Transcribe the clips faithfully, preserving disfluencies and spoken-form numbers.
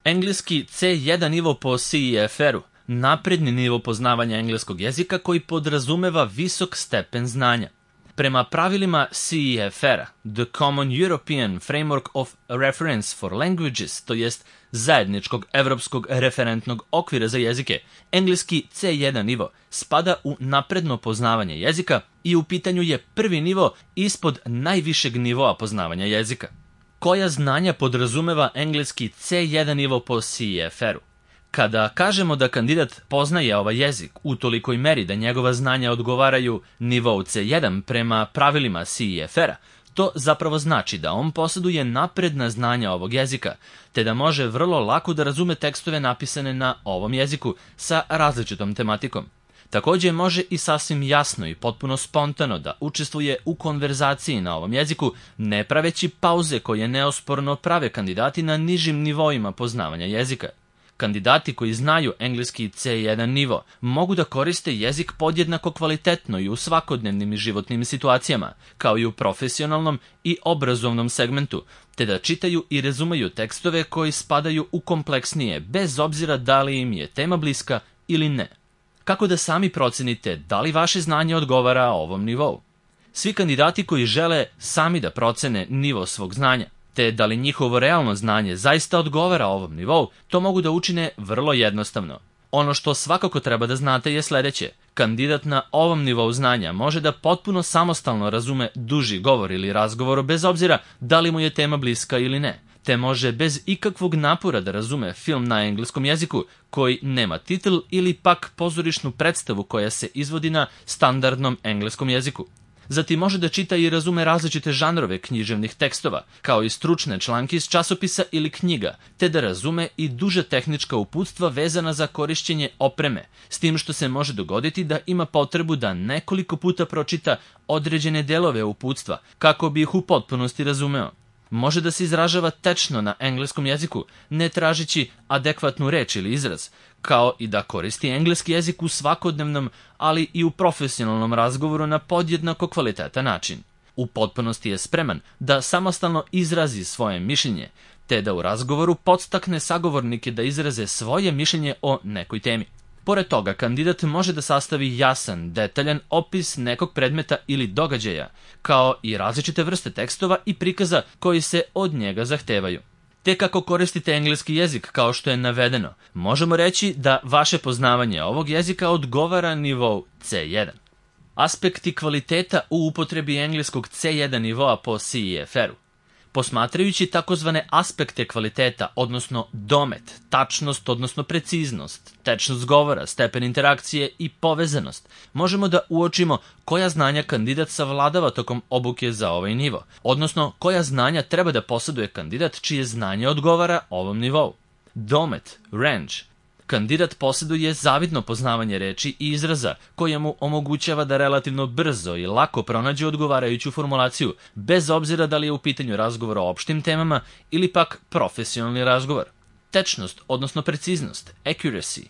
Engleski ce jedan nivo po C E F R-u, napredni nivo poznavanja engleskog jezika koji podrazumeva visok stepen znanja. Prema pravilima C E F R-a, The Common European Framework of Reference for Languages, to jest zajedničkog evropskog referentnog okvira za jezike, engleski ce jedan nivo spada u napredno poznavanje jezika i u pitanju je prvi nivo ispod najvišeg nivoa poznavanja jezika. Koja znanja podrazumeva engleski ce jedan nivo po C E F R-u? Kada kažemo da kandidat poznaje ovaj jezik u tolikoj meri da njegova znanja odgovaraju nivou ce jedan prema pravilima C E F R-a, to zapravo znači da on posjeduje napredna znanja ovog jezika, te da može vrlo lako da razume tekstove napisane na ovom jeziku sa različitom tematikom. Također može i sasvim jasno i potpuno spontano da učestvuje u konverzaciji na ovom jeziku, ne praveći pauze koje neosporno prave kandidati na nižim nivoima poznavanja jezika. Kandidati koji znaju engleski ce jedan nivo mogu da koriste jezik podjednako kvalitetno i u svakodnevnim i životnim situacijama, kao i u profesionalnom i obrazovnom segmentu, te da čitaju i razumeju tekstove koji spadaju u kompleksnije, bez obzira da li im je tema bliska ili ne. Kako da sami procenite da li vaše znanje odgovara ovom nivou? Svi kandidati koji žele sami da procene nivo svog znanja, te da li njihovo realno znanje zaista odgovara ovom nivou, to mogu da učine vrlo jednostavno. Ono što svakako treba da znate je sledeće. Kandidat na ovom nivou znanja može da potpuno samostalno razume duži govor ili razgovor bez obzira da li mu je tema bliska ili ne, te može bez ikakvog napora da razume film na engleskom jeziku koji nema titl ili pak pozorišnu predstavu koja se izvodi na standardnom engleskom jeziku. Zatim može da čita i razume različite žanrove književnih tekstova, kao i stručne članke iz časopisa ili knjiga, te da razume i duže tehnička uputstva vezana za korišćenje opreme, s tim što se može dogoditi da ima potrebu da nekoliko puta pročita određene delove uputstva, kako bi ih u potpunosti razumeo. Može da se izražava tečno na engleskom jeziku, ne tražići adekvatnu reč ili izraz, kao i da koristi engleski jezik u svakodnevnom, ali i u profesionalnom razgovoru na podjednako kvalitetan način. U potpunosti je spreman da samostalno izrazi svoje mišljenje, te da u razgovoru podstakne sagovornike da izraze svoje mišljenje o nekoj temi. Pored toga, kandidat može da sastavi jasan, detaljan opis nekog predmeta ili događaja, kao i različite vrste tekstova i prikaza koji se od njega zahtevaju. Te kako koristite engleski jezik kao što je navedeno, možemo reći da vaše poznavanje ovog jezika odgovara nivou ce jedan. Aspekti kvaliteta u upotrebi engleskog ce jedan nivoa po C E F R-u. Posmatrajući takozvane aspekte kvaliteta, odnosno domet, tačnost, odnosno preciznost, tečnost govora, stepen interakcije i povezanost, možemo da uočimo koja znanja kandidat savladava tokom obuke za ovaj nivo, odnosno koja znanja treba da posjeduje kandidat čije znanje odgovara ovom nivou. Domet, range. Kandidat posjeduje zavidno poznavanje reči i izraza koje mu omogućava da relativno brzo i lako pronađe odgovarajuću formulaciju, bez obzira da li je u pitanju razgovor o opštim temama ili pak profesionalni razgovor. Tečnost, odnosno preciznost, accuracy.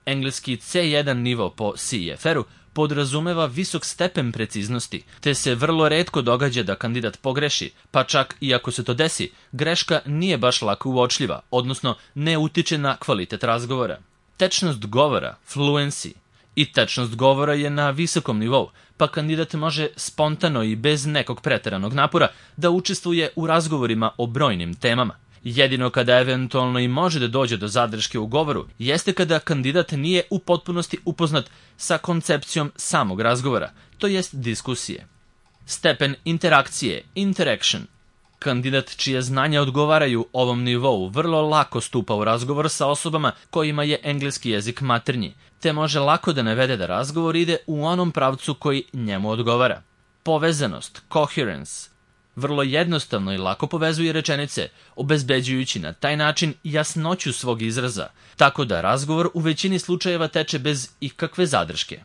Engleski ce jedan nivo po C E F R-u podrazumeva visok stepen preciznosti, te se vrlo retko događa da kandidat pogreši, pa čak i ako se to desi, greška nije baš lako uočljiva, odnosno ne utiče na kvalitet razgovora. Tečnost govora, fluency. I tečnost govora je na visokom nivou, pa kandidat može spontano i bez nekog preteranog napora da učestvuje u razgovorima o brojnim temama. Jedino kada eventualno i može da dođe do zadrške u govoru, jeste kada kandidat nije u potpunosti upoznat sa koncepcijom samog razgovora, to jest diskusije. Stepen interakcije, interaction. Kandidat čije znanja odgovaraju ovom nivou vrlo lako stupa u razgovor sa osobama kojima je engleski jezik maternji, te može lako da navede da razgovor ide u onom pravcu koji njemu odgovara. Povezanost, coherence. Vrlo jednostavno i lako povezuje rečenice, obezbeđujući na taj način jasnoću svog izraza, tako da razgovor u većini slučajeva teče bez ikakve zadrške.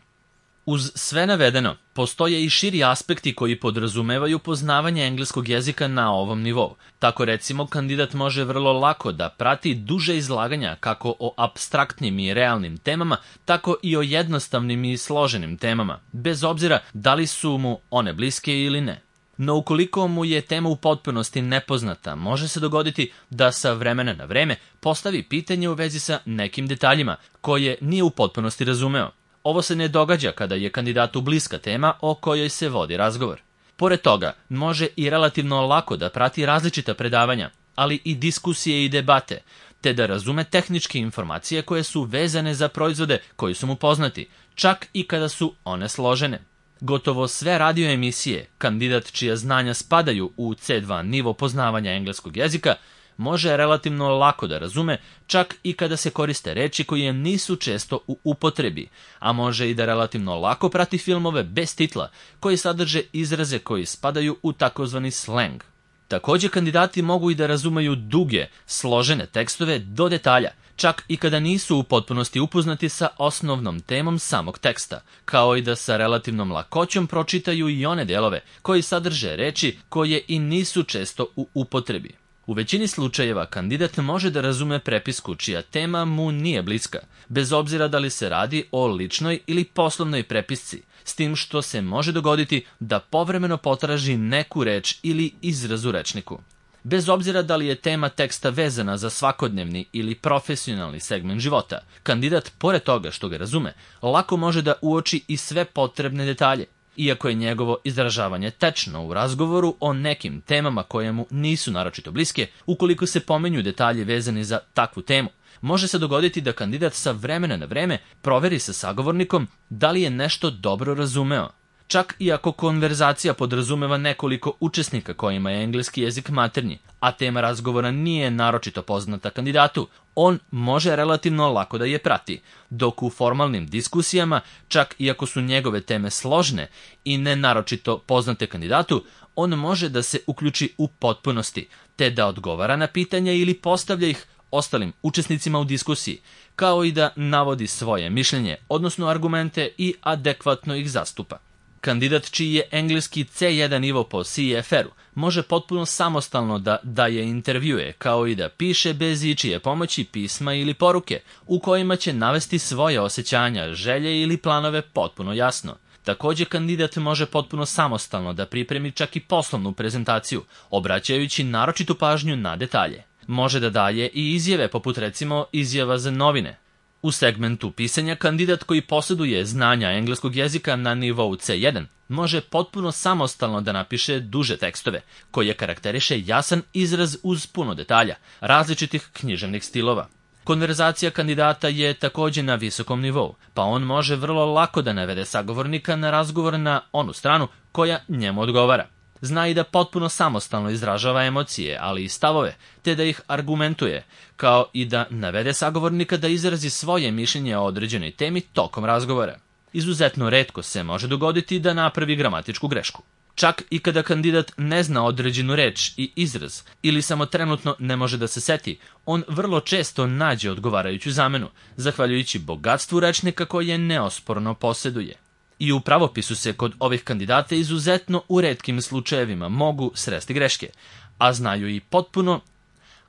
Uz sve navedeno, postoje i širi aspekti koji podrazumevaju poznavanje engleskog jezika na ovom nivou. Tako recimo, kandidat može vrlo lako da prati duže izlaganja kako o apstraktnim i realnim temama, tako i o jednostavnim i složenim temama, bez obzira da li su mu one bliske ili ne. No ukoliko mu je tema u potpunosti nepoznata, može se dogoditi da sa vremena na vreme postavi pitanje u vezi sa nekim detaljima koje nije u potpunosti razumeo. Ovo se ne događa kada je kandidatu bliska tema o kojoj se vodi razgovor. Pored toga, može i relativno lako da prati različita predavanja, ali i diskusije i debate, te da razume tehničke informacije koje su vezane za proizvode koji su mu poznati, čak i kada su one složene. Gotovo sve radio emisije, kandidat čija znanja spadaju u ce dva nivo poznavanja engleskog jezika, može relativno lako da razume, čak i kada se koriste reči koje nisu često u upotrebi, a može i da relativno lako prati filmove bez titla, koji sadrže izraze koji spadaju u takozvani sleng. Također kandidati mogu i da razumeju duge, složene tekstove do detalja, čak i kada nisu u potpunosti upoznati sa osnovnom temom samog teksta, kao i da sa relativnom lakoćom pročitaju i one delove koji sadrže reči koje i nisu često u upotrebi. U većini slučajeva kandidat može da razume prepisku čija tema mu nije bliska, bez obzira da li se radi o ličnoj ili poslovnoj prepisci, s tim što se može dogoditi da povremeno potraži neku reč ili izraz u rečniku. Bez obzira da li je tema teksta vezana za svakodnevni ili profesionalni segment života, kandidat, pored toga što ga razume, lako može da uoči i sve potrebne detalje, iako je njegovo izražavanje tečno u razgovoru o nekim temama koje mu nisu naročito bliske. Ukoliko se pomenju detalji vezani za takvu temu, može se dogoditi da kandidat sa vremena na vreme proveri sa sagovornikom da li je nešto dobro razumeo. Čak i ako konverzacija podrazumeva nekoliko učesnika kojima je engleski jezik maternji, a tema razgovora nije naročito poznata kandidatu, on može relativno lako da je prati, dok u formalnim diskusijama, čak i ako su njegove teme složne i ne naročito poznate kandidatu, on može da se uključi u potpunosti, te da odgovara na pitanja ili postavlja ih ostalim učesnicima u diskusiji, kao i da navodi svoje mišljenje, odnosno argumente i adekvatno ih zastupa. Kandidat čiji je engleski ce jedan nivo po ce ef er-u može potpuno samostalno da daje intervjue, kao i da piše bez ičije pomoći pisma ili poruke, u kojima će navesti svoje osjećanja, želje ili planove potpuno jasno. Također kandidat može potpuno samostalno da pripremi čak i poslovnu prezentaciju, obraćajući naročitu pažnju na detalje. Može da daje i izjave poput recimo izjava za novine. U segmentu pisanja kandidat koji posjeduje znanja engleskog jezika na nivou ce jedan može potpuno samostalno da napiše duže tekstove, koje karakteriše jasan izraz uz puno detalja, različitih književnih stilova. Konverzacija kandidata je također na visokom nivou, pa on može vrlo lako da navede sagovornika na razgovor na onu stranu koja njemu odgovara. Zna i da potpuno samostalno izražava emocije, ali i stavove, te da ih argumentuje, kao i da navede sagovornika da izrazi svoje mišljenje o određenoj temi tokom razgovora. Izuzetno retko se može dogoditi da napravi gramatičku grešku. Čak i kada kandidat ne zna određenu reč i izraz ili samo trenutno ne može da se seti, on vrlo često nađe odgovarajuću zamenu, zahvaljujući bogatstvu rečnika koje neosporno posjeduje. I u pravopisu se kod ovih kandidata izuzetno u retkim slučajevima mogu sresti greške, a znaju i potpuno,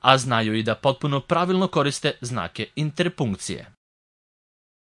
a znaju i da potpuno pravilno koriste znake interpunkcije.